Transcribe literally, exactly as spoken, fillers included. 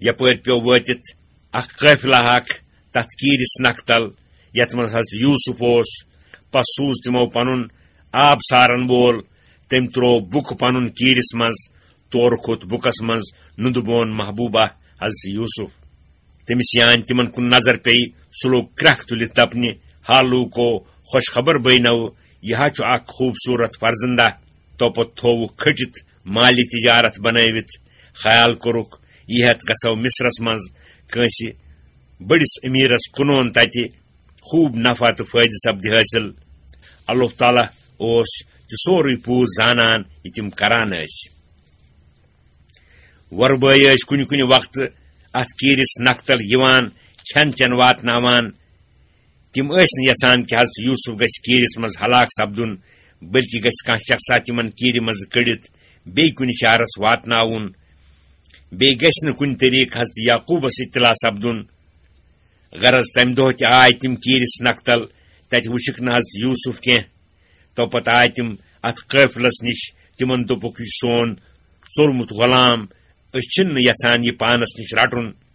یپٲرۍ پیوٚو وٲتِتھ اکھ قٲفلہ اکھ تتھ کیٖرِس نکھٕ تل، یتھ منٛز حضرت یوسف اوس۔ پس سوٗز تِمو پنُن آب سارن وول، تٔمۍ تروو بُکہٕ پنُن کیٖرِس منٛز، تورٕ کھوٚت بُکس منٛز نُندٕ بون محبوبہ حضرت یوسف۔ تٔمِس یان تِمن کُن نظر پیٚیہِ، سُہ لوٚگ کرٛکھ تُلِتھ دپنہِ، ہا لوٗکو، خۄش خبر بٲے نو، یہِ ہا چھُ اکھ خوٗبصوٗرت فرزندہ۔ توپت تھووُکھ کھٔٹِتھ مالہِ تجارت بنٲوِتھ۔ خیال کوٚرُکھ، یہِ ہٮ۪تھ گژھو مصرس منٛز کٲنٛسہِ بٔڑِس أمیٖرس کٕنون، تتہِ خوٗب نفع تہٕ فٲیدٕ سپدِ حٲصِل۔ اللہ تعالیٰ اوس تہِ سورُے پوٗر زانان، یہِ تِم کران ٲسۍ۔ وۄرٕ بٲے ٲسۍ کُنہِ کُنہِ وقتہٕ اتھ کیٖرِس نکھٕ تل یِوان، کھٮ۪ن چٮ۪ن واتناوان۔ تِم ٲسۍ نہٕ یژھان کہِ حضرت یوسف گژھِ کیٖرِس منٛز ہلاک سپدُن، بلکہِ گژھِ کانٛہہ شخصا تِمن کیٖرِ منٛزٕ کٔڑِتھ بیٚیہِ کُنہِ شہرس واتناوُن۔ بیٚیہِ گژھِ نہٕ کُنہِ طریٖقہٕ حضرت یعقوبس اطلاع سپدُن۔ غرض، تمہِ دۄہ تہِ آے تِم کیٖرِس نکھٕ تل، تتہِ وُچھکھ نہٕ حضرت یوسف کینٛہہ۔ توپتہٕ آے تِم اتھ قٲفلس نِش، تِمن دوٚپُکھ، یہِ سون ژوٚلمُت غلام، أسۍ چھِنہٕ یژھان یہِ پانس نِش رٹُن۔